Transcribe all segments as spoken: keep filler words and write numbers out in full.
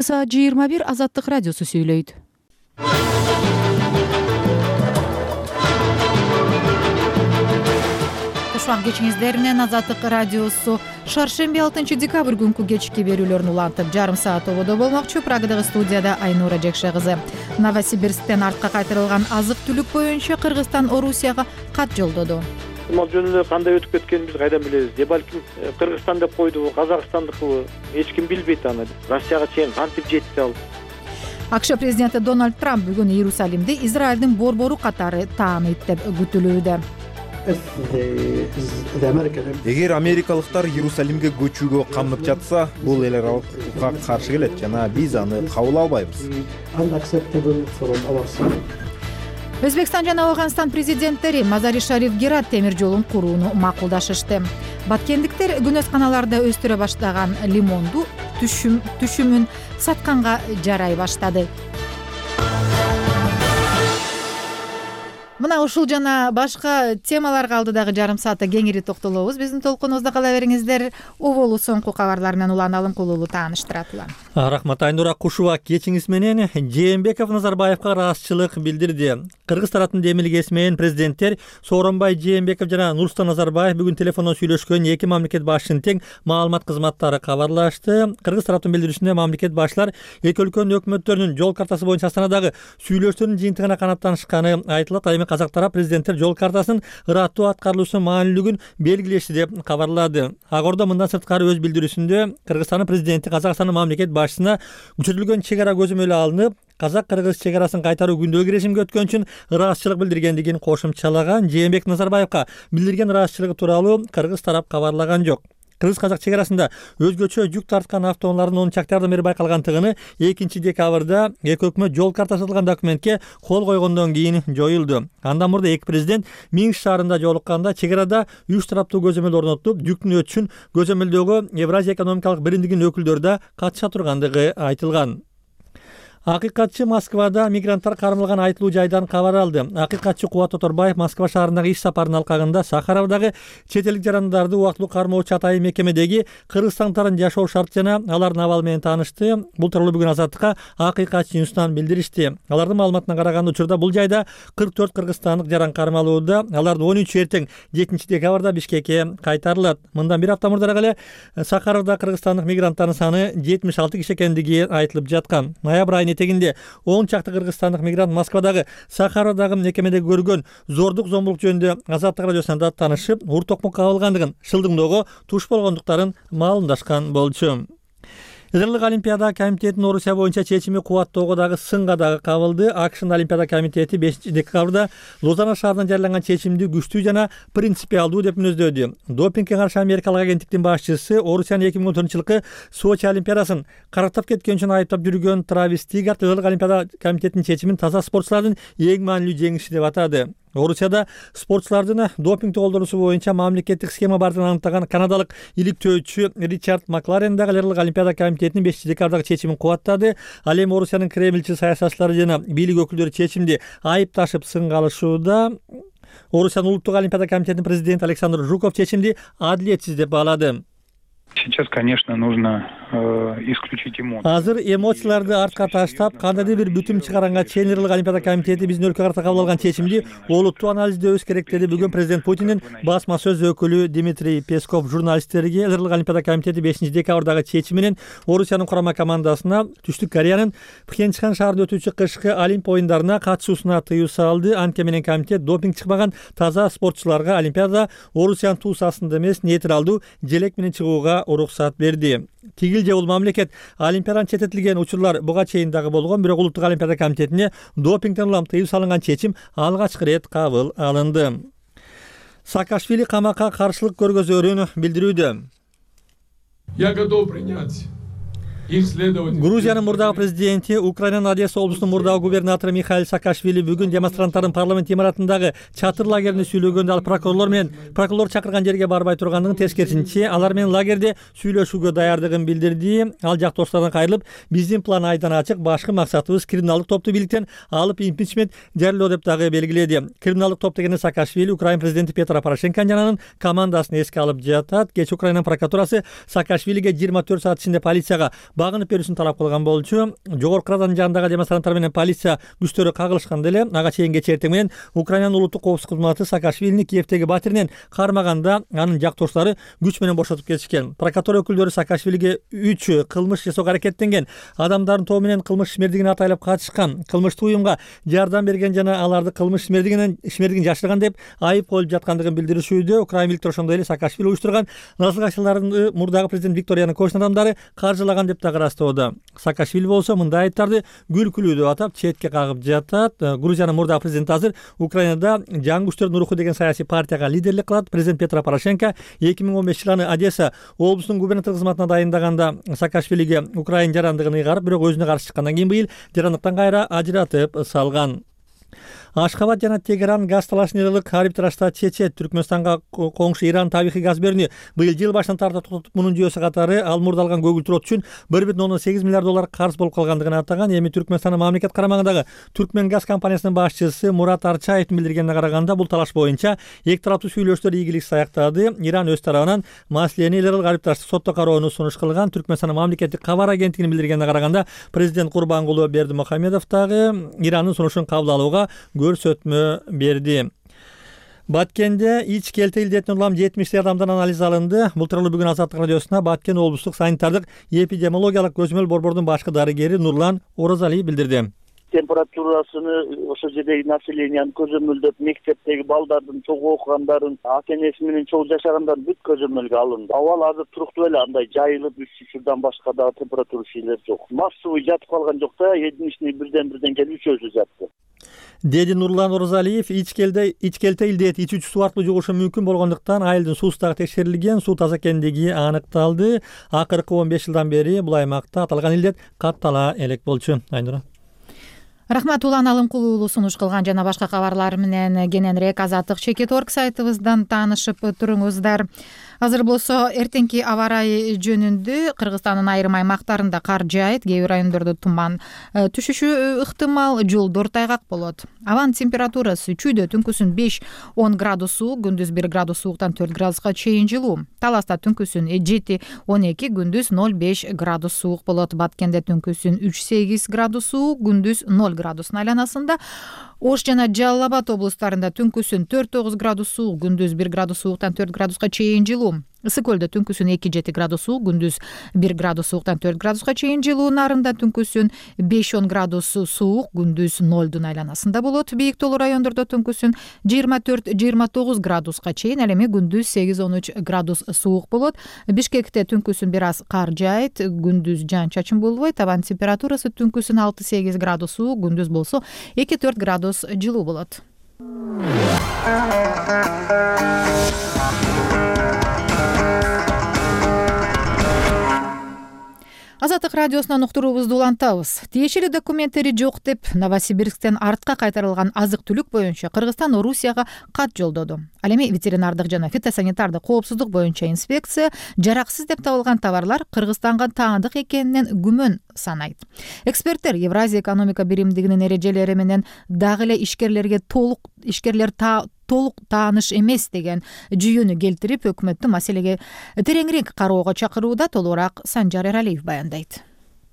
Саат жыйырма бир Азаттык радиосу сүйлөйт. Кушак кечиңиздер менен Азаттык радиосу шаршемби алтынчы декабрь күнкү кечки берүүлөрүн улантып жарым саат ободо болмокчу. Прагадагы студияда Айнура Жекше кызы. Новосибирсктен артка кайтарылган азык-түлүк боюнча Кыргызстан Орусияга кат жолдоду. Мал жөн эле кандай өтүп кеткенин биз кайдан билебиз? Же балким Кыргызстан деп койдубу, Казакстандыкыбы? Эч ким билбейт аны. Россияга чейин кантип жетти ал? АКШ президенти Дональд Трамп бүгүн Иерусалимди Израилдин борбору катары тааныйт деп күтүлүүдө. Эгер америкалыктар Иерусалимге көчүүгө камдып жатса, бул эл аралык укукка каршы келет жана биз аны кабыл албайбыз. Өзбекстан жана Афганистан президенттери Мазари-Шариф Герат темир жолун курууну макулдашышты. Баткендиктер күнөсканаларда өстүрө баштаган лимонду түшүм түшүмүн сатканга жарай баштады. Мына ушул жана башка темаларга алдыдагы жарым саатта кеңири токтолобуз. Биздин толкунубузда кала бериңиздер. Оболу соңку кабарлар менен Улан Алымкулуулу тааныштырат. Рахмат Айнура Кушуба. Кечиңиз менен Жээнбеков Назарбаевка ыраазычылык билдирди. Кыргыз тарапынын демилгеси менен президенттер Сооронбай Жээнбеков жана Нурсултан Назарбаев бүгүн телефондон сүйлөшкөн эки мамлекет башчынын тең маалымат кызматтары кабарлашты. Кыргыз тараптын билдирүүсүндө мамлекет башчылар эки өлкөнүн өкмөттөрүнүн жол картасы боюнча Астанадагы сүйлөшүүлөрдүн жыйынтыгына канаттанышканы айтылат. Айми казак тарап президенттер жол картасынын ыраттуу аткарылуусунун маанилүүлүгүн белгилешти деп кабарлады. Агордо мындан сырткары өз билдирүүсүндө Кыргызстандын президенти Казакстандын мамлекет башчысына күчөтүлгөн чек ара көзөмөлү алынып, казак-кыргыз чек арасын кайтаруу күндөгү режимге өткөн үчүн ыраазычылык билдиргендигин кошумчалаган. Жээнбеков Назарбаевка билдирген ыраазычылыгы тууралуу Кыргыз тарап кабарлаган жок. Кыргыз-казак чек арасында өзгөчө жүк тарткан автоунаалардын он чактардан бери байкалгандыгыны экинчи декабрда эки өкмөт жол картасы жазылган документке кол койгондон кийин жоюлду. Андан мурда эки президент Минск шаарында жолукканда чек арада үч тараптуу көзөмөл орнотуп, жүктүн өтүшүн көзөмөлдөгө Евразия экономикалык биримдигинин өкүлдөрү да катыша тургандыгы айтылган. Акыйкатчы Москвада мигранттар кармалган айтылуу жайдан кабар алды. Акыйкатчы Кубат Тоторбаев Москва шаарындагы иш сапарынын алкагында Сахаровдагы чет элдик жарандарды убактылуу кармоочу атайын мекемедеги кыргызстандыктардын жашоо шарты жана алардын абалы менен таанышты. Бул тууралуу бүгүн Азаттыкка Акыйкатчы Ньюстан билдиришти. Алардын маалыматына караганда учурда бул жайда кырк төрт кыргызстандык жаран кармалууда. Алардын он үчү эртең жетинчи декабрда Бишкекке кайтарылат. Мындан бир апта мурдараак эле Сахаровдо кыргызстандык мигранттардын саны жетимиш алты киши экендиги айтылып жаткан. Ноябрь айынын этегинде он чакты кыргызстандык мигрант Москвадагы Сахаровдагы мекемеде көргөн зордук зомбулук жөнүндө Азаттык радиосуна таанышып, ур токмокко кабылгандыгын, шылдыңдоого туш болгондуктарын маалымдашкан болчу. Израилдик Олимпиада комитетинин Орусия боюнча чечими кубаттоого дагы сынга дагы кабылды. АКШнын Олимпиада комитети бешинчи декабрда Лозанна шаарынан жарыяланган чечимди күчтүү жана принципиалдуу деп мүнөздөдү. Допингге каршы америкалык агенттиктин башчысы Орусиянын эки миң он төртүнчү жылкы Сочи Олимпиадасын карактап кеткен үчүн айыптап жүргөн Травис Тигард Израилдик Олимпиада комитетинин чечимин таза спортчулардын эң маанилүү жеңиши деп атады. Орусияда спортчулардын допинг колдонуусу боюнча мамлекеттик схема бардыгын аныктаган канадалык иликтөөчү Ричард Макларен дагы Израилдик Олимпиада комитетинин бешинчи декабрдагы чечимин кубаттады. Ал эми Орусиянын Кремльчи саясатчылары жана бийлик өкүлдөрү чечимди айыпташып сынга алышууда. Орусиянын улуттук Олимпиада комитетинин президенти Александр Жуков чечимди адилетсиз деп баалады. Сейчас, конечно, нужно э, исключить эмоции. Азыр эмоцияларды артка таштап, кандайдыр бир бүтүм чыгаранга чейин Израилдик Олимпиада комитети биздин өлкөгө карата кабыл алган чечимди олуттуу анализдөөбүз керек деди бүгүн президент Путиндин басма сөз өкүлү Дмитрий Песков журналисттерге. Израилдик Олимпиада комитети бешинчи декабрдагы чечими менен Орусиянын курама командасына Түштүк Кореянын Пхенчхан шаарында өтүүчү кышкы Олимп оюндарына катышуусуна тыюу салды. Анткени менен комитет допинг чыкпаган таза спортчуларга Олимпиада Орусиянын туусасында эмес нейтралдуу желек менен чыгууга уруксат берди. Тигил же бул мамлекет Олимпиадан четтетилген учурлар буга чейин дагы болгон, бирок улуттук Олимпиада комитетине допингден улам тыюу салынган чечим алгачкы ирет кабыл алынды. Саакашвили камакка каршылык көргөзөрүн билдирүүдө. Я готов принять Грузиянын мурдагы президенти, Украинанын Одесса облусунун мурдагы губернатору Михаил Саакашвили бүгүн демонстранттардын парламент имаратындагы чатыр лагерине сүйлөгөндө ал прокурорлор менен прокурор чакырган жерге барбай тургандыгын, тескерисинче алар менен лагерде сүйлөшүүгө даярдыгын билдирди. Ал жактоштордон кайрылып, биздин план айдан ачык, башкы максатыбыз криминалдык топту бийликтен алып импичмент жарыялоо деп дагы белгиледи. Криминалдык топ дегенде Саакашвили Украин президенти Петро Порошенконун жананын командасын эске алып жатат. Кеч Украинанын прокуратурасы Саакашвилиге жыйырма төрт саат ичинде полицияга багынып берүүсүн талап кылган болчу. Жогорку Радан жанындагы демонстранттар менен полиция күчтөрү кагылышканда эле ага чейин кечээ эртең менен Украинанын улуттук коопсуздук кызматы Саакашвилини Киевдеги батиринен кармаганда анын жактооштору күч менен бошотуп кетишкен. Прокуратура өкүлдөрү Саакашвилиге үч кылмыш жасоого аракеттенген адамдардын тобу менен кылмыш ишмердигин атайлап катышкан, кылмыштык уюмга жардам берген жана аларды кылмыш ишмердигинен ишмердигин жашырган деп айып коюлуп жаткандыгын билдиришүүдө. Украин бийликтери ошондой эле Саакашвили уюштурган насылгачыларды мурдагы президент Виктор Януковичтин адамдары каржылаган деп дагы ырастоодо. Саакашвили болсо мындай айыптарды күлкүлүү деп атап четке кагып жатат. Грузиянын мурдагы президенти азыр Украинада жаңы күчтөрдүн руху деген саясий партияга лидерлик кылат. Президент Петро Порошенко эки миң он бешинчи жылы Одесса облусунун губернатор кызматына дайындаганда Саакашвилиге Украин жарандыгын ыйгарып, бирок өзүнө каршы чыккандан кийин быйыл жарандыктан кайра ажыратып салган. Ашхабад жана Тегеран газ талашын арбитражда чечет. Түркмөнстанга коңшу Иран табигый газ берүүнү быйыл жыл башынан тартып тотуп, мунун жүйөсү катары ал мурдалган көгүлтүр от үчүн бир бүтүн ондон сегиз миллиард доллар карыз болуп калгандыгын атаган. Эми Түркмөнстандын мамлекет карамагындагы Түркмен газ компаниясынын башчысы Мурат Арчаевдин билдиргенине караганда, бул талаш боюнча эки тараптуу сүйлөшүүлөр ийгиликсиз аяктады. Иран өз тарабынан маселени эл аралык арбитраждык сотто кароону сунуш кылган. Түркмөнстандын мамлекеттик кабар агенттигинин билдиргенине караганда, президент Курбангулы Бердимухамедов дагы Ирандын сунушун кабыл алууга көрсөтмө берди. Баткенде ич келте илдетинен улам жетимиштей адамдан анализ алынды. Бул тууралуу бүгүн Азаттык радиосуна Баткен облустук санитардык эпидемиологиялык көзөмөл борбордун башкы дарыгери Нурлан Оразалиев билдирди. Температурасыны ошол жердеги населенияны көзөмөлдөп, мектептеги балдардын, чогуу окугандардын, ата-энеси менен чогуу жашагандардын бүт көзөмөлгө алынды. Абал азыр туруктуу эле, андай жайылып üşüşүрдан башка дагы температура шейлер жок. Массовый жатып калган жок да, единичный бирден-бирден келип үчөөсү жатты. Деди Нурлан Оразалиев. Ичкелде ичкелте илдет ичүүчү суу аркылуу жугушу мүмкүн болгондуктан айылдын суусу дагы текшерилген, суу таза экендиги аныкталды. Акыркы он беш жылдан бери бул аймакта аталган илдет каттала элек болчу. Айнура. Рахмат, Улан Алымкулуу сунуш кылган жана башка кабарлар менен кененирээк Азаттык чекит точка орг сайтыбыздан таанышып туруңуздар. Азыр болсо эртеңки аба ырайы жөнүндө Кыргызстандын айрым аймактарында кар жаайт, кээ бир райондордо туман түшүшү ыктымал, жолдор тайгак болот. Абанын температурасы чүйдө түнкүсүн беш он градус суук, күндүз бир градус сууктан төрт градуска чейин жылуу. Таласта түнкүсүн жети он эки, күндүз ноль беш градус суук болот. Баткенде түнкүсүн үч сегиз градус суук, күндүз ноль градустун айланасында. Ош жана Жалал Абад облустарында түнкүсүн төрт тогуз градус суук, күндүз бир градус сууктан төрт градуска чейин жылуу. Ысык көлдө түнкүсүн эки жети градус суук, күндүз бир градус сууктан төрт градуска чейин жылуу. Нарында түнкүсүн беш он градус суук, күндүз нолдун айланасында болот. Бийик тоолуу райондордо түнкүсүн жыйырма төрт жыйырма тогуз градуска чейин, ал эми күндүз сегиз он үч градус суук болот. Бишкекте түнкүсүн бир аз кар жаайт, күндүз жаан чачын болбойт. Абанын температурасы түнкүсүн алты сегиз градус суук, күндүз болсо эки төрт градус жылуу болот. Азаттык радиосунан уктуруубузду улантабыз. Тиешелүү документтери жок деп Новосибирсктен артка кайтарылган азык-түлүк боюнча Кыргызстан Орусияга кат жолдоду. Ал эми ветеринардык жана фитосанитардык коопсуздук боюнча инспекция жараксыз деп табылган товарлар Кыргызстанга таандык экенинен күмөн санайт. Эксперттер Евразия экономика биримдигинин эрежелери менен дагы эле ишкерлерге толук ишкерлер та толук тааныш эмес деген жүйөнү келтирип, өкмөттү маселеге тереңирээк кароого чакырууда. Толугураак Санжар Эралиев баяндайт.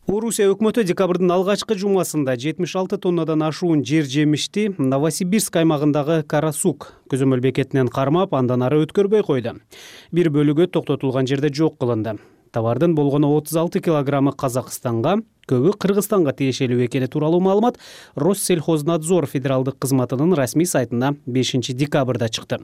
Орусия өкмөтү декабрдын алгачкы жумасында жетимиш алты тоннадан ашуун жер жемишти Новосибирск аймагындагы Карасук көзөмөл бекетинен кармап, андан ары өткөрбөй койду. Бир бөлүгү токтотулган жерде жок кылынды. Товардын болгону отуз алты килограммы Казакстанга, көбү Кыргызстанга тиешелүү экени тууралуу маалымат Россельхознадзор федералдык кызматынын расмий сайтына бешинчи декабрда чыкты.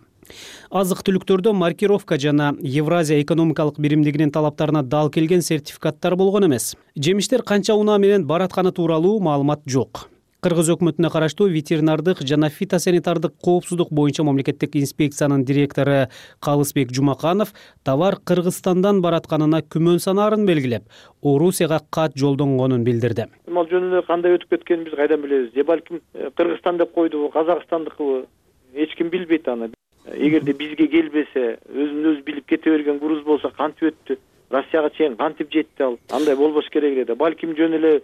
Азык-түлүктөрдө маркировка жана Евразия экономикалык биримдигинин талаптарына дал келген сертификаттар болгон эмес. Жемиштер канча унаа менен баратканы тууралуу маалымат жок. Кыргыз өкмөтүнө караштуу ветеринардык жана фитосанитардык коопсуздук боюнча мамлекеттик инспекциянын директору Калысбек Жумаканов товар Кыргызстандан баратканына күмөн санаарын белгилеп, Орусияга кат жолдонгонун билдирди. Мал жөн эле кандай өтүп кеткенин биз кайдан билебиз? Же балким Кыргызстан деп койдубу, Казакстандыкыбы? Эч ким билбейт аны. Эгерде бизге келбесе, өзүн өзү билип кете берген груз болсо кантип өттү? Россияга чейин кантип жетти ал? Андай болбош керек эле да. Балким жөн эле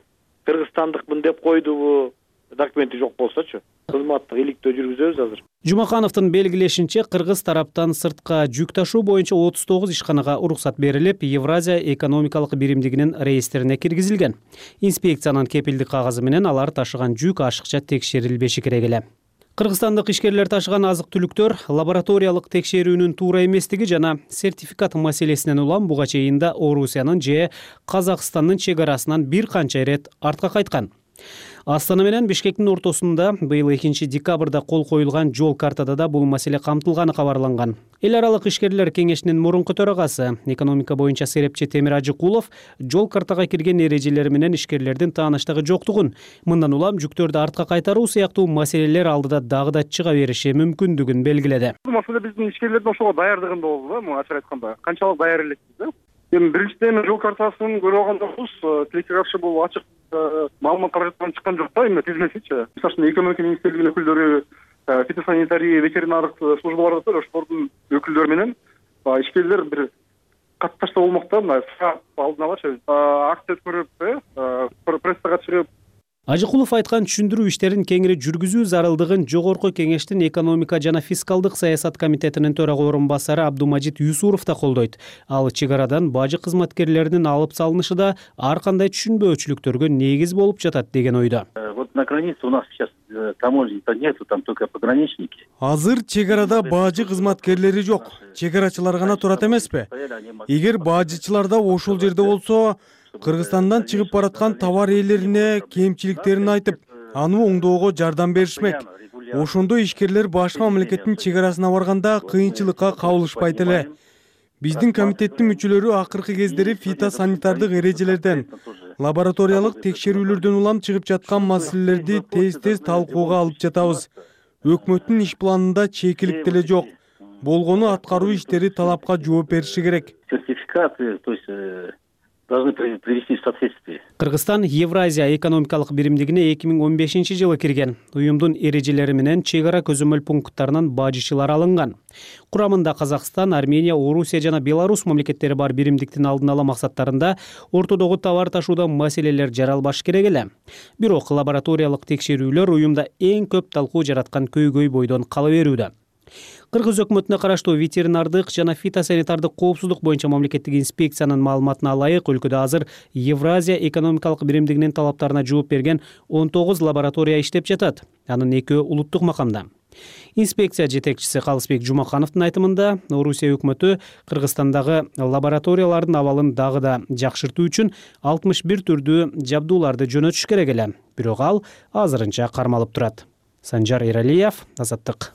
Кыргызстандыкмын деп койдубу? документи жок болсочу кызматтык иликтөө жүргүзөбүз азыр. Жумакановдун белгилешинче, кыргыз тараптан сыртка жүк ташуу боюнча отуз тогуз ишканага уруксат берилип, Евразия экономикалык биримдигинин реестрине киргизилген. Инспекциянын кепилдик кагазы менен алар ташыган жүк ашыкча текшерилбеши керек эле. Кыргызстандык ишкерлер ташыган азык-түлүктөр лабораториялык текшерүүнүн туура эместиги жана сертификат маселесинен улам буга чейин да Орусиянын же Казакстандын чек арасынан бир канча ирет артка кайткан. Астана менен Бишкектин ортосунда быйыл экинчи декабрда кол коюлган жол картада да бул маселе камтылганы кабарланган. Эл аралык ишкерлер кеңешинин мурунку төрагасы, экономика боюнча серепчи Темир Ажыкулов жол картага кирген эрежелери менен ишкерлердин тааныштыгы жоктугун, мындан улам жүктөрдү артка кайтаруу сыяктуу маселелер алдыда дагы да чыга бериши мүмкүндүгүн белгиледи. Бул маселе биздин ишкерлердин ошого даярдыгында болду да, мага ачык айтканда. Канчалык даяр элекпиз да? Эми биринчиден жол картасын көрүп алгандабыз, тилекке каршы бул ачык маалымат каражаттан чыккан жок да, эми тизмесичи. Мисалы үчүн экономика министрлигинин өкүлдөрү, фитосанитария, ветеринардык службалар бар, ошолордун өкүлдөрү менен ишкерлер бир катташта болмок да, мына алдын алачы акция өткөрүп, прессага чыгып. Ажыкулов айткан түшүндүрүү иштерин кеңири жүргүзүү зарылдыгын Жогорку кеңештин экономика жана фискалдык саясат комитетинин төрага орун басары Абдумажит Юсуров да колдойт. Ал чек арадан бажы кызматкерлеринин алып салынышы да ар кандай түшүнбөөчүлүктөргө негиз болуп жатат деген ойдо. Вот на границе у нас сейчас таможни-то нету, там только пограничники. Азыр чек арада бажы кызматкерлери жок. Чек арачылар гана турат эмеспи? Эгер бажычылар да ошол жерде болсо, Кыргызстандан чыгып бараткан товар ээлерине кемчиликтерин айтып, аны оңдоого жардам беришмек. Ошондо ишкерлер башка мамлекеттин чек арасына барганда кыйынчылыкка кабылышпайт эле. Биздин комитеттин мүчөлөрү акыркы кездери фитосанитардык эрежелерден, лабораториялык текшерүүлөрдөн улам чыгып жаткан маселелерди тез-тез талкууга алып жатабыз. Өкмөттүн иш планында чекилик деле жок. Болгону аткаруу иштери талапка жооп бериши керек. Сертификаты, то есть должны привести в соответствие. Кыргызстан Евразия экономикалык биримдигине эки миң он бешинчи жылы кирген. Уюмдун эрежелери менен чек ара көзөмөл пункттарынан бажычылар алынган. Курамында Казакстан, Армения, Орусия жана Беларусь мамлекеттери бар биримдиктин алдын ала максаттарында ортодогу товар ташууда маселелер жаралбаш керек эле. Бирок лабораториялык текшерүүлөр уюмда эң көп талкуу жараткан көйгөй бойдон кала берүүдө. Кыргыз өкмөтүнө караштуу ветеринардык жана фитосанитардык коопсуздук боюнча мамлекеттик инспекциянын маалыматына ылайык өлкөдө азыр Евразия экономикалык биримдигинин талаптарына жооп берген он тогуз лаборатория иштеп жатат. Анын экөө улуттук макамда. Инспекция жетекчиси Калысбек Жумакановдун айтымында, Орусия өкмөтү Кыргызстандагы лабораториялардын абалын дагы да жакшыртуу үчүн алтымыш бир түрдүү жабдууларды жөнөтүш керек эле. Бирок ал азырынча кармалып турат. Санжар Эралиев, Азаттык.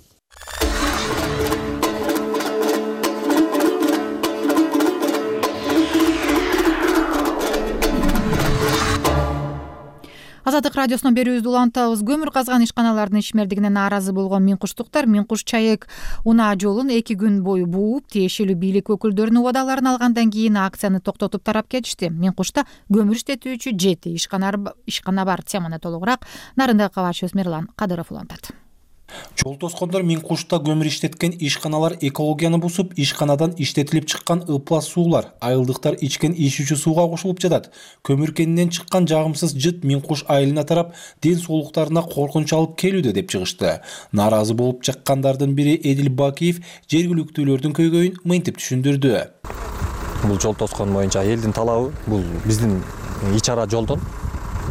Азаттык радиосунун берүүбүздү улантабыз. Көмүр казган ишканалардын ишмердигине нааразы болгон Миңкуштуктар Миңкуш Чайык унаа жолун эки күн бою бууп, тиешелүү бийлик өкүлдөрүнүн убадаларын алгандан кийин акцияны токтотуп тарап кетишти. Миңкушта көмүр иштетүүчү жети ишкана бар. Теманы толугураак Нарындай кабарчыбыз Мирлан Кадыров улантат. Жол тоскондор Миңкушта көмүр иштеткен ишканалар экологияны бузуп, ишканадан иштетилип чыккан ыплас суулар, айылдыктар ичкен ичүүчү сууга кошулуп жатат. Көмүр кенинен чыккан жагымсыз жыт Миңкуш айылына тарап, ден соолуктарына коркунуч алып келүүдө деп чыгышты. Нааразы болуп чыккандардын бири Эдил Бакиев жергиликтүүлөрдүн көйгөйүн мынтип түшүндүрдү. Бул жол тоскон боюнча элдин талабы, бул биздин ич ара жолдон,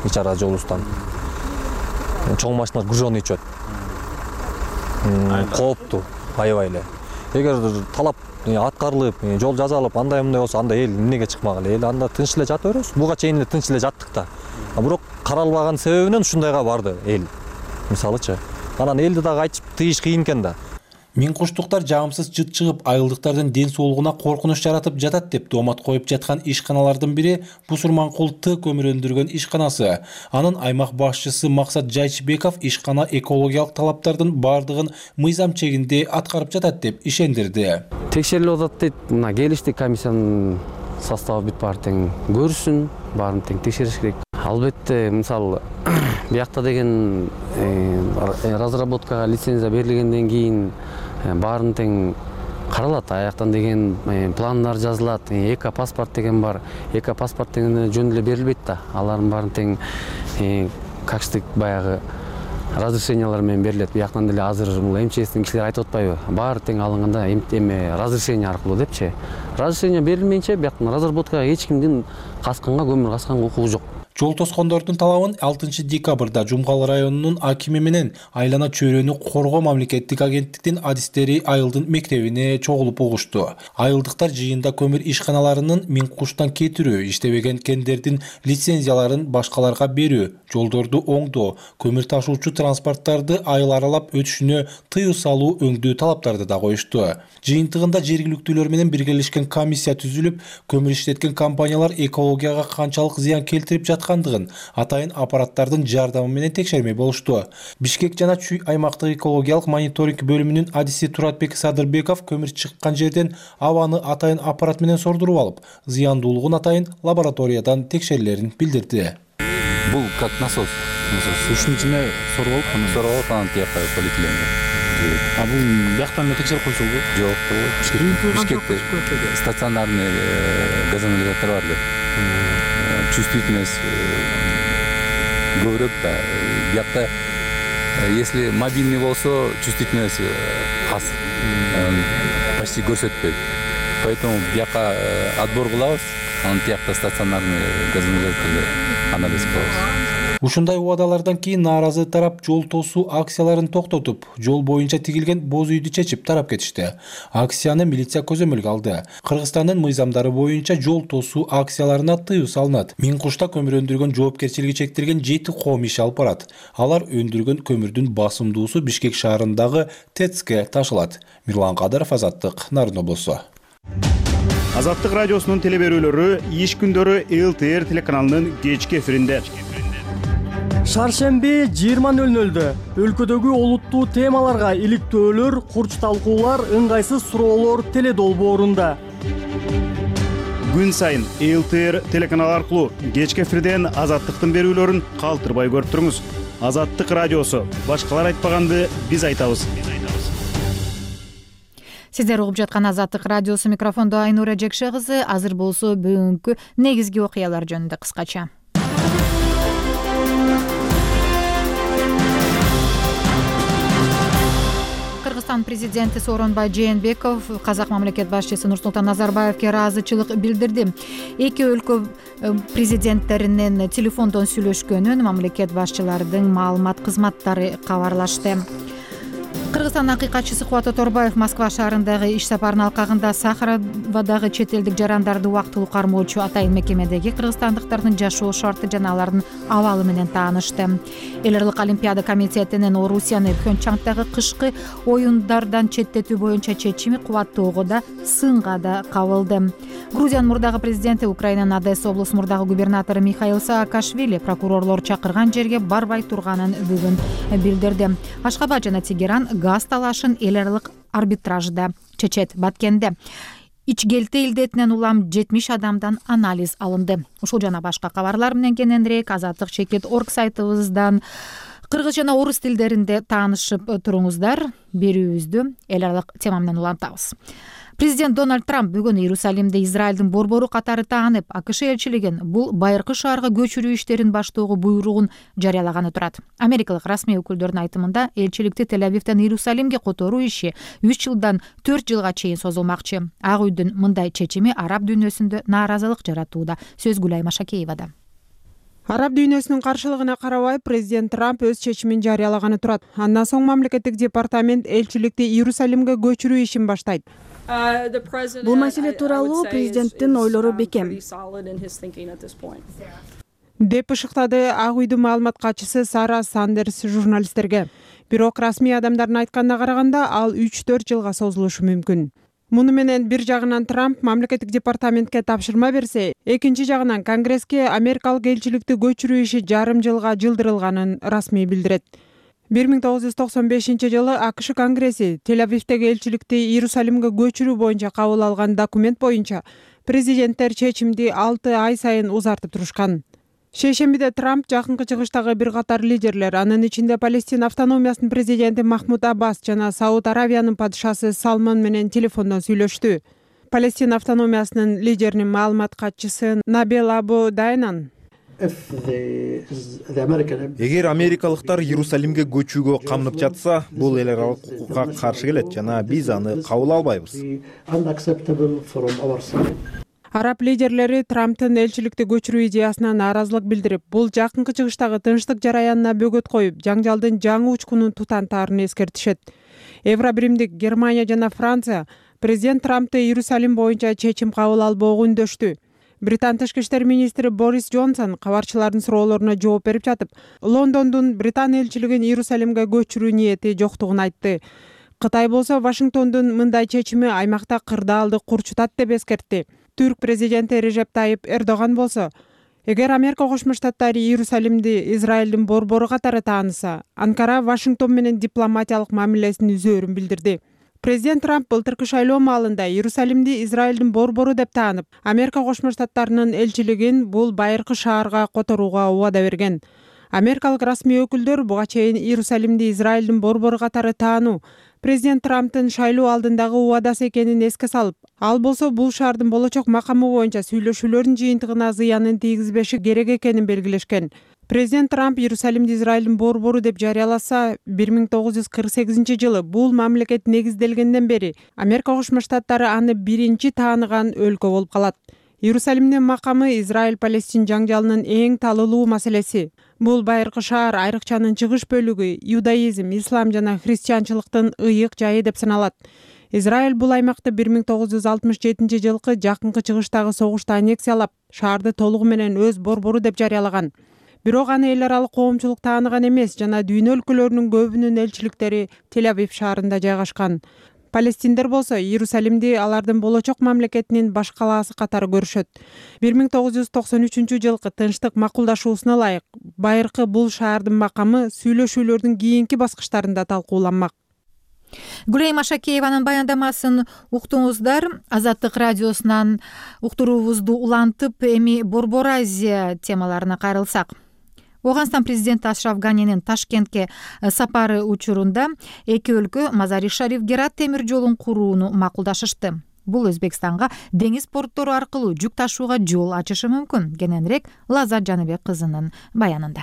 ич ара жолубуздан чоң машиналар груженный өтүп кооптуу, аябай эле. Эгер талап аткарылып, жол жазалып, андай мындай болсо, анда эл эмнеге чыкмагыла? Эл анда тынч эле жата беребиз. Буга чейин эле тынч эле жаттык да. Бирок каралбаган себебинен ушундайга барды эл. Мисалычы, анан элди дагы айтып тыйыш кыйын экен да. Миңкуштуктар жагымсыз жыт чыгып, айылдыктардын ден соолугуна коркунуч жаратып жатат деп доомат коюп жаткан ишканалардын бири Бусурманкул Т көмүр өндүргөн ишканасы. Анын аймак башчысы Максат Жайчыбеков ишкана экологиялык талаптардын бардыгын мыйзам чегинде аткарып жатат деп ишендирди. Текшерилип атат дейт. Мына келишти, комиссиянын составы бүт баары тең көрсүн, баарын тең текшериш керек. Албетте, мисалы, биякта деген разработкага лицензия берилгенден кийин баарын тең каралат. Аяктан деген пландар жазылат. Эко паспорт деген бар. Эко паспорт деген жөн эле берилбейт да. Алардын баарын тең качтык баягы разрешениялар менен берилет. Бияктан деле азыр бул эм че эстин кишилери айтып атпайбы? Баары тең алынганда эме разрешение аркылуу депчи. Разрешение берилмейинче бияктан разработкага эч кимдин касканга, көмүр касканга укугу жок. Жол тоскондордун талабын алтынчы декабрда Жумгал районунун акими менен айлана чөйрөнү коргоо мамлекеттик агенттиктин адистери Айылдын мектебине чогулуп угушту. Айылдыктар жыйында көмүр ишканаларынын Миңкуштан кетирүү, иштебеген кендердин лицензияларын башкаларга берүү, жолдорду оңдоо, көмүр ташуучу транспорттарды айыл аралап өтүшүнө тыюу салуу өңдүү талаптарды да коюшту. Жыйынтыгында жергиликтүүлөр менен биргелешкен комиссия түзүлүп, көмүр иштеткен компаниялар экологияга канчалык зыян келтирип жаткандыгын атайын аппараттардын жардамы менен текшермей болушту. Бишкек жана Чүй аймактык экологиялык мониторинг бөлүмүнүн адиси Туратбек Садырбеков көмүр чыккан жерден абаны атайын аппарат менен сордуруп алып, зыяндуулугун атайын лабораториядан текшерилерин билдирди. Бул как насос. Ушунун ичине соруп алып, аны соруп алып, анан тияка полиэтиленге. А бул бияктан эле текшерип койсо болбойбу? Жок, Бишкекте стационарный газоанализатор бар эле. Чувствительность көбүрөөк да. Биякта если мобильный болсо, чувствительность аз. Почти көрсөтпөйт. Поэтому бияка отбор кылабыз, анан тиякта стационарный газоанализаторду анализ кылабыз. Ушундай убадалардан кийин нааразы тарап жол тосуу акцияларын токтотуп, жол боюнча тигилген боз үйдү чечип тарап кетишти. Акцияны милиция көзөмөлгө алды. Кыргызстандын мыйзамдары боюнча жол тосуу акцияларына тыюу салынат. Миңкушта көмүр өндүргөн жоопкерчилиги чектелген жети коом иш алып барат. Алар өндүргөн көмүрдүн басымдуусу Бишкек шаарындагы ТЭЦке ташылат. Мирлан Кадыров, Азаттык, Нарын облусу. Азаттык радиосунун телеберүүлөрү иш күндөрү эл тэ эр телеканалынын кечки эфиринде. Шаршемби жыйырма нөл нөлдө өлкөдөгү олуттуу темаларга иликтөөлөр, курч талкуулар, ыңгайсыз суроолор теледолбоорунда. Күн сайын эл тэ эр телеканалы аркылуу кечки эфирден Азаттыктын берүүлөрүн калтырбай көрүп туруңуз. Азаттык радиосу. Башкалар айтпаганды биз айтабыз. Сиздер угуп жаткан Азаттык радиосу, микрофондо Айнура Жекше кызы. Азыр болсо бүгүнкү негизги окуялар жөнүндө кыскача. Кыргызстан президенти Сооронбай Жээнбеков казак мамлекет башчысы Нурсултан Назарбаевге ыраазычылык билдирди. Эки өлкө президенттеринин телефондон сүйлөшкөнүн мамлекет башчыларынын маалымат кызматтары кабарлашты. Кыргызстан акыйкатчысы Кубат Оторбаев Москва шаарындагы иш сапарынын алкагында Сахаровадагы чет элдик жарандарды убактылуу кармоочу атайын мекемедеги кыргызстандыктардын жашоо шарты жана алардын абалы менен таанышты. Эл аралык олимпиада комитетинин Орусияны Пхенчхандагы кышкы оюндардан четтетүү боюнча чечими кубаттоого да, сынга да кабылды. Грузиянын мурдагы президенти, Украинанын Одесса облусу мурдагы губернатору Михаил Саакашвили прокурорлор чакырган жерге барбай турганын бүгүн билдирди. Ашхабад жана Тегеран газ талашын эл аралык арбитражда чечет. Баткенде ичкелти илдетинен улам жетимиш адамдан анализ алынды. Ушул жана башка кабарлар менен кененирээк Азаттык чекит точка орг сайтыбыздан кыргыз жана орус тилдеринде таанышып туруңуздар. Берүүбүздү эл аралык тема менен улантабыз. Президент Дональд Трамп бүгүн Иерусалимде Израилдин борбору катары таанып, АКШ элчилигин бул байыркы шаарга көчүрүү иштерин баштоого буйругун жарыялаганы турат. Америкалык расмий өкүлдөрдүн айтымында элчиликти Тель-Авивден Иерусалимге которуу иши үч жылдан төрт жылга чейин созулмакчы. Ак үйдүн мындай чечими араб дүйнөсүндө нааразылык жаратууда. Сөз Гүлай Машакеевада. Араб дүйнөсүнүн каршылыгына карабай президент Трамп өз чечимин жарыялаганы турат. Андан соң мамлекеттик департамент элчиликти Иерусалимге көчүрүү ишин баштайт. Бул маселе тууралуу президенттин ойлору бекем деп ышыктады Ак үйдүн маалымат катчысы Сара Сандерс журналисттерге. Бирок расмий адамдардын айтканына караганда ал үч төрт жылга созулушу мүмкүн. Муну менен бир жагынан Трамп мамлекеттик департаментке тапшырма берсе, экинчи жагынан Конгресске америкалык элчиликти көчүрүү иши жарым жылга жылдырылганын расмий билдирет. бир миң тогуз жүз токсон бешинчи жылы АКШ Конгресси Тель-Авивдеги элчиликти Иерусалимге көчүрүү боюнча кабыл алган документ боюнча президенттер чечимди алты ай сайын узартып турушкан. Шейшембиде Трамп жакынкы чыгыштагы бир катар лидерлер, анын ичинде Палестин автономиясынын президенти Махмуд Аббас жана Сауд Аравиянын падышасы Салман менен телефондон сүйлөштү. Палестин автономиясынын лидеринин маалымат катчысы Набел Абу Дайнан эгер америкалыктар Иерусалимге көчүүгө камынып жатса, бул эл аралык укукка каршы келет жана биз аны кабыл албайбыз. Араб лидерлери Трамптын элчиликти көчүрүү идеясына нааразылык билдирип, бул жакынкы чыгыштагы тынчтык жараянына бөгөт коюп, жаңжалдын жаңы учкунун тутантаарын эскертишет. Евробиримдик Германия жана Франция президент Трампты Иерусалим боюнча чечим кабыл албоого үндөштү. Британ тышкы иштер министри Борис Джонсон кабарчылардын суроолоруна жооп берип жатып, Лондондун Британ элчилигин Иерусалимге көчүрүү ниети жоктугун айтты. Кытай болсо Вашингтондун мындай чечими аймакта кырдаалды курчутат деп эскертти. Түрк президенти Режеп Тайип Эрдоган болсо, эгер Америка Кошмо Штаттары Иерусалимди Израилдин борбору катары тааныса, Анкара Вашингтон менен дипломатиялык мамилесин үзөөрүн билдирди. Президент Трамп былтыркы шайлоо маалында Иерусалимди Израилдин борбору деп таанып, Америка Кошмо Штаттарынын элчилигин бул байыркы шаарга которууга убада берген. Америкалык расмий өкүлдөр буга чейин Иерусалимди Израилдин борбору катары таануу президент Трамптын шайлоо алдындагы убадасы экенин эске салып, ал болсо бул шаардын болочок макамы боюнча сүйлөшүүлөрдүн жыйынтыгына зыянын тийгизбеши керек экенин белгилешкен. Президент Трамп Иерусалимди Израилдин борбору деп жарыяласа, бир миң тогуз жүз кырк сегизинчи жылы бул мамлекет негизделгенден бери Америка Кошмо Штаттары аны биринчи тааныган өлкө болуп калат. Иерусалимдин макамы Израиль-Палестин жаңжалынын эң талылуу маселеси. Бул байыркы шаар айрыкчанын чыгыш бөлүгү, иудаизм, ислам жана христианчылыктын ыйык жайы деп саналат. Израиль бул аймакты бир миң тогуз жүз алтымыш жетинчи жылкы жакынкы чыгыштагы согушта аннексиялап, шаарды толугу менен өз борбору деп жарыялаган. Бирок аны эл аралык коомчулук тааныган эмес жана дүйнө өлкөлөрүнүн көбүнүн элчиликтери Тель-Авив шаарында жайгашкан. Палестиндер болсо Иерусалимди алардын болочок мамлекетинин баш калаасы катары көрүшөт. бир миң тогуз жүз токсон үчүнчү жылкы тынчтык макулдашуусуна ылайык, байыркы бул шаардын макамы сүйлөшүүлөрдүн кийинки баскычтарында талкууланмак. Гүлайым Ашакееванын баяндамасын уктуңуздар. Азаттык радиосунан уктуруубузду улантып, эми Борбор Азия темаларына кайрылсак. Оганстан президенти Ашраф Ганинин Ташкентке сапары учурунда эки өлкө Мазари-Шариф Герат темир жолун курууну макулдашышты. Бул Өзбекстанга деңиз порттору аркылуу жүк ташууга жол ачышы мүмкүн. Кененирээк Лазар Жаныбек кызынын баянында.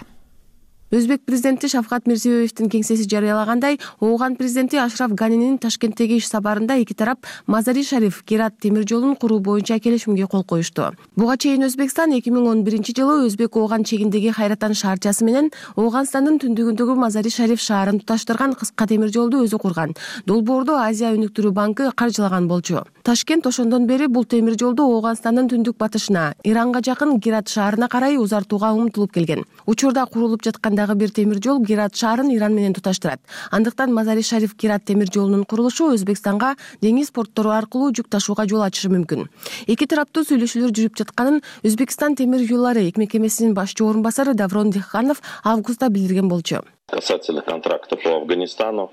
Өзбек президенти Шавкат Мирзиёевдин кеңсеси жарыялагандай, Ооган президенти Ашраф Ганинин Ташкенттеги иш сапарында эки тарап Мазари-Шариф Герат темир жолун куруу боюнча келишимге кол коюшту. Буга чейин Өзбекстан эки миң он биринчи жылы Өзбек Ооган чегиндеги Хайратан шаарчасы менен Ооганстандын түндүгүндөгү Мазари-Шариф шаарын туташтырган кыска темир жолду өзү курган. Долбоорду Азия өнүктүрүү банкы каржылаган болчу. Ташкент ошондон бери бул темир жолду Ооганстандын түндүк батышына, Иранга жакын Герат шаарына карай узартууга умтулуп келген. Учурда курулуп жатканда бир темир жол Герат шаарын Иран менен туташтырат. Андыктан Мазари-Шариф Герат темир жолунун курулушу Өзбекстанга деңиз порттору аркылуу жүк ташууга жол ачышы мүмкүн. Эки тараптуу сүйлөшүүлөр жүрүп жатканын Өзбекстан темир жолдору мекемесинин башчы орун басары Даврон Диханов августта билдирген болчу. Касательно контракта по Афганистану,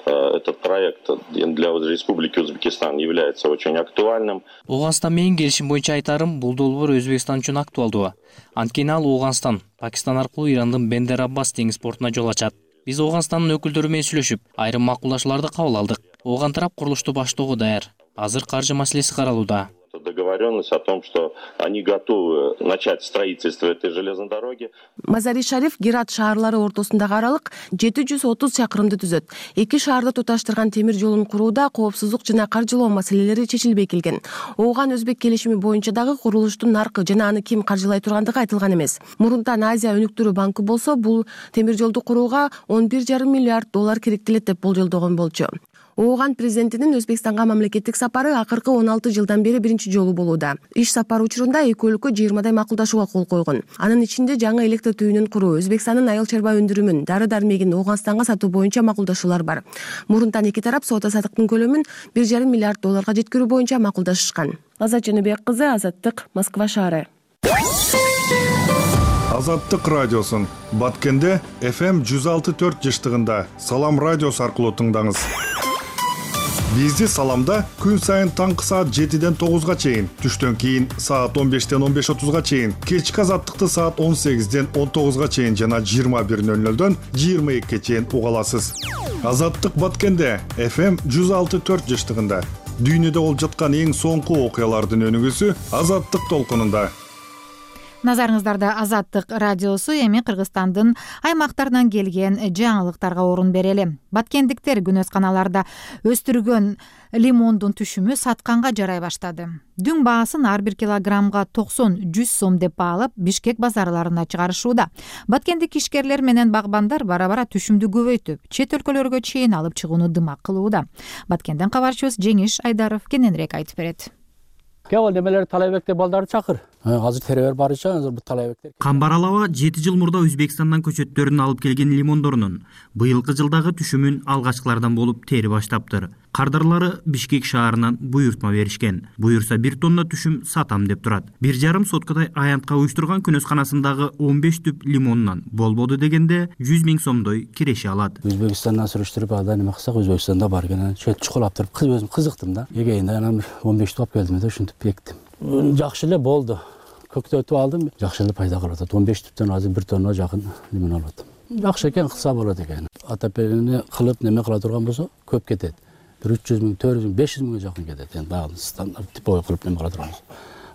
этот проект для Республики Узбекистан является очень актуальным. Ооганстан менен келишим боюнча айтарым, бул долбоор Өзбекстан үчүн актуалдуу. Анткени ал Ооганстан, Пакистан аркылуу Ирандын Бендер Аббас деңиз портуна жол ачат. Биз Ооганстандын өкүлдөрү менен сүйлөшүп, айрым макулдашууларды кабыл алдык. Ооган тарап курулушту баштоого даяр. Азыр каржы маселеси каралууда. Договоренность о том, что они готовы начать строительство этой железной дороги. Мазари-Шариф Герат шаарлары ортосундагы аралык жети жүз отуз чакырымды түзөт. Эки шаарды туташтырган темир жолун курууда коопсуздук жана каржылоо маселелери чечилбей келген. Ооган Өзбек келишими боюнча дагы курулуштун наркы жана аны ким каржылай тургандыгы айтылган эмес. Мурунтан Азия өнүктүрүү банкы болсо бул темир жолду курууга он бир жарым миллиард доллар керектелет деп болжолдогон болчу. Ооган президентинин Өзбекстанга мамлекеттик сапары акыркы он алты жылдан бери биринчи жолу болууда. Иш сапар учурунда эки өлкө жыйырмадай макулдашууга кол койгон. Анын ичинде жаңы электр түйүнүн куруу, Өзбекстандын айыл чарба өндүрүмүн, дары-дармегин Ооганстанга сатуу боюнча макулдашуулар бар. Мурунтан эки тарап соода саттыктын көлөмүн бир жарым миллиард долларга жеткирүү боюнча макулдашышкан. Лазат Жаныбек кызы, Азаттык, Москва шаары. Азаттык радиосун Баткенде эф эм жүз алты төрт жыштыгында Салам радиосу аркылуу тыңдаңыз. Бизди Саламда күн сайын таңкы саат жетиден тогузга чейин, түштөн кийин саат он бештен он беш отузга чейин, кечки Азаттыкты саат он сегизден он тогузга чейин жана жыйырма бир нөл нөлдөн жыйырма экиге чейин уга аласыз. Азаттык Баткенде эф эм жүз алты төрт жыштыгында дүйнөдө болуп жаткан эң соңку окуялардын өнүгүүсү Азаттык толкунунда. Назарыңыздарда Азаттык радиосу. Эми Кыргызстандын аймактарынан келген жаңылыктарга орун берели. Баткендиктер күнөсканаларда өстүргөн лимондун түшүмү сатканга жарай баштады. Дүң баасын ар бир килограммга токсон жүз сом деп баалап Бишкек базарларына чыгарышууда. Баткендик ишкерлер менен багбандар бара-бара түшүмдү көбөйтүп, чет өлкөлөргө чейин алып чыгууну дымак кылууда. Баткенден кабарчыбыз Жеңиш Айдаров кененирээк айтып берет. Кел немелер талайбекте балдарды чакыр. Азыр теребер барыча азыр бу талайбектер. Камбаралова жети жыл мурда Өзбекстандан көчөттөрүн алып келген лимондорунун быйылкы жылдагы түшүмүн алгачкылардан болуп тери баштаптыр. Кардарлары Бишкек шаарынан буйртма беришкен. Буйрса бир тонна түшүм сатам деп турат. Бир жарым соткадай аянтка уюштурган күнөсканасындагы он беш түп лимонунан болбоду дегенде жүз миң сомдой киреше алат. Өзбекстандан сүрүштүрүп ада неме кылсак, Өзбекстанда бар экен. Чөт чукулап туруп, кыз өзүм кызыктым да. Эгейинде анан он беш туп келдим да, ушинтип бектим. Жакшы эле болду. Көктөтүп алдым, жакшы эле пайда кылып атат. он беш түптөн азыр бир тонна жакын лимон алып атам. Жакшы экен, кылса болот экен. Атапелени кылып неме кыла турган болсо көп кетет. бир үч жүз миң, төрт жүз миң, беш жүз миңге жакын кетет. Эми баягы стандарт типовой кылып неме кыла турган болсо.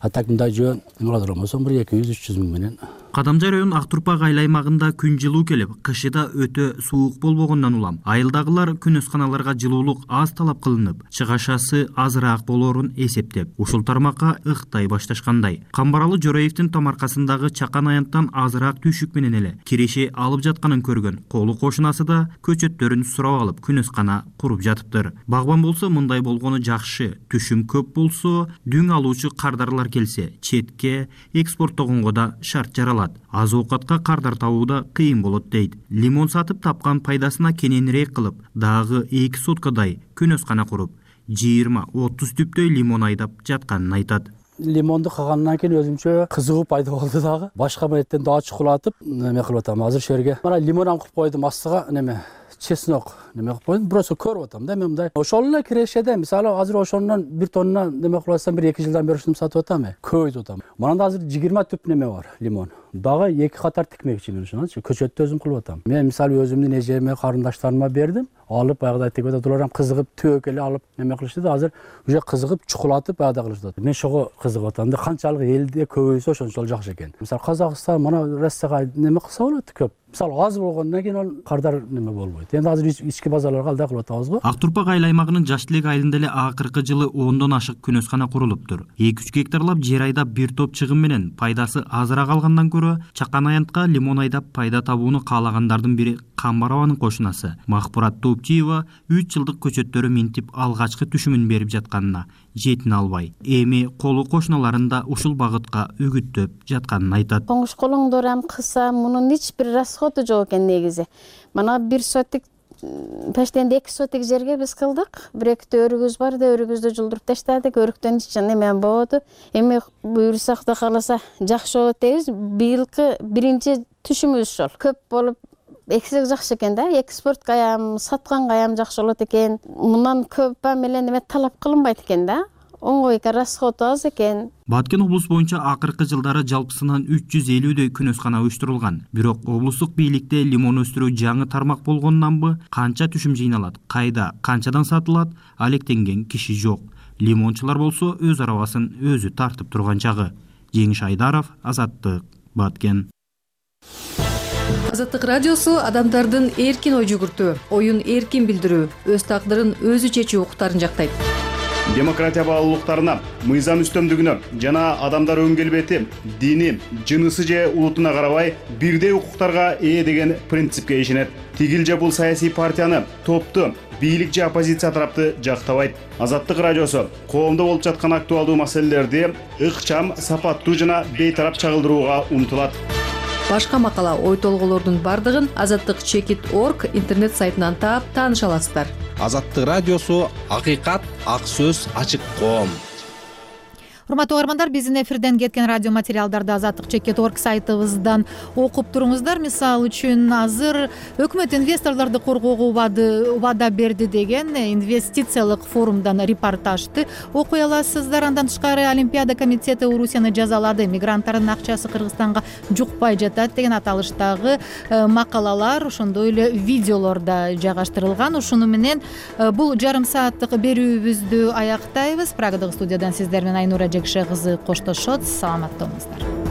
А так мындай жөн неме кыла турган болсо бир эки жүз, үч жүз миң менен. Кадамжай район Актурпак айыл аймагында күн жылуу келип, кышыда өтө суук болбогондон улам айылдагылар күнөсканаларга жылуулук аз талап кылынып, чыгашасы азыраак болоорун эсептеп, ушул тармакка ыктай башташкандай. Камбаралы Жороевдин томаркасындагы чакан аянттан азыраак түшүк менен эле киреше алып жатканын көргөн колу кошунасы да көчөттөрүн сурап алып күнөскана куруп жатыптыр. Багбан болсо мындай болгону жакшы. Түшүм көп болсо, дүң алуучу кардарлар келсе, четке экспорттогонго да шарт жаралат. Аз оокатка кардар табуу да кыйын болот дейт. Лимон сатып тапкан пайдасына кененирээк кылып, дагы эки соткадай күнөскана куруп, жыйырма отуз түптөй лимон айдап жатканын айтат. Лимонду калгандан кийин өзүмчө кызыгуу пайда болду дагы. Башка милеттен дагы чукулатып, неме кылып атам. Азыр шерге мына лимон аңкып койдум, астыга неме чеснок неме кылып койдум. Просто көрүп атам да мен мындай. Ошол эле кирешеде мисалы азыр ошондон бир тонна неме кылып атсам бир эки жылдан бери ушуну сатып атам. Көбөйтүп атам. Мында азыр жыйырма түп неме бар, лимон. Дагы эки катар тикмекчимин ушунчу. Көчөттү өзүм кылып атам. Мен мисалы өзүмдүн эжеме, карындаштарыма бердим. Алып баягыдай тигип атат. Улар ham кызыгып төөк эле алып неме кылышты да, азыр уже кызыгып чукулатып баягыдай кылышты. Мен ошого кызыгып атам да, канчалык элде көбөйсө ошончолук жакшы экен. Мисалы Казакстан мына Россияга неме кылса болот көп. Мисалы аз болгондон кийин ал кардар неме болбойт. Энди азыр ички базарларга алдай кылып атабыз го. Актурпак айыл аймагынын Жаш Тилек айылында эле акыркы жылы ондон ашык күнөскана курулуптур. эки үч гектарлап жер айдап бир топ чыгым менен пайдасы азыраак алгандан көрө чакан аянтка лимон айдап пайда табууну каалагандардын бири Камбарованын кошунасы Махпурат Топчиева үч жылдык көчөттөрү минтип алгачкы түшүмүн берип жатканына жетине албай, эми колу кошуналарында ушул багытка үгүттөп жатканын айтат. Коңуш колоңдор ham кылса, мунун эч бир расходу жок экен негизи. Мана бир сотик пештенде эки сотик жерге биз кылдык. Бир эки өрүгүбүз бар да, өрүгүбүздү жулдуруп таштадык. Өрүктөн эч неме болду. Эми буйрсак да кааласа жакшы болот дейбиз. Быйылкы биринчи түшүмүбүз ошол. Көп болуп эксек жакшы экен да, экспортко ham, сатканга ham жакшы болот экен. Мындан көп менен неме талап кылынбайт экен да. Оңой экен, расходу аз экен. Баткен облус боюнча акыркы жылдары жалпысынан үч жүз элүүдөй күнөскана уюштурулган. Бирок облустук бийликте лимон өстүрүү жаңы тармак болгондонбу, канча түшүм жыйналат, кайда, канчадан сатылат, алектенген киши жок. Лимончулар болсо өз арабасын өзү тартып турган чагы. Жеңиш Айдаров, Азаттык, Баткен. Азаттык радиосу адамдардын эркин ой жүгүртүү, оюн эркин билдирүү, өз тагдырын өзү чечүү укуктарын жактайт. Демократия баалуулуктарына, мыйзам үстөмдүгүнө жана адамдар өн келбети, дини, жынысы же улутуна карабай бирдей укуктарга ээ деген принципке ишенет. Тигил же бул саясий партияны, топту, бийлик же оппозиция тарапты жактабайт. Азаттык радиосу коомдо болуп жаткан актуалдуу маселелерди ыкчам, сапаттуу жана бейтарап чагылдырууга умтулат. Башка макала, ой толголордун бардыгын азаттык чекит точка орг интернет сайтынан таап тааныша аласыздар. Азаттык радиосу акыйкат, ак сөз, ачык коом. Урматтуу угармандар, биздин эфирден кеткен радио материалдарды азаттык чекит точка орг сайтыбыздан окуп туруңуздар. Мисалы үчүн азыр өкмөт инвесторлорду коргоого убада берди деген инвестициялык форумдан репортажды окуй аласыздар. Андан тышкары Олимпиада комитети Орусияны жазалады, мигранттардын акчасы Кыргызстанга жукпай жатат деген аталыштагы макалалар, ошондой эле видеолор да жайгаштырылган. Ушуну менен бул жарым сааттык берүүбүздү аяктайбыз. Прагадагы студиядан сиздер менен Айнура Жекше кызы коштошот. Саламатта болуңуздар.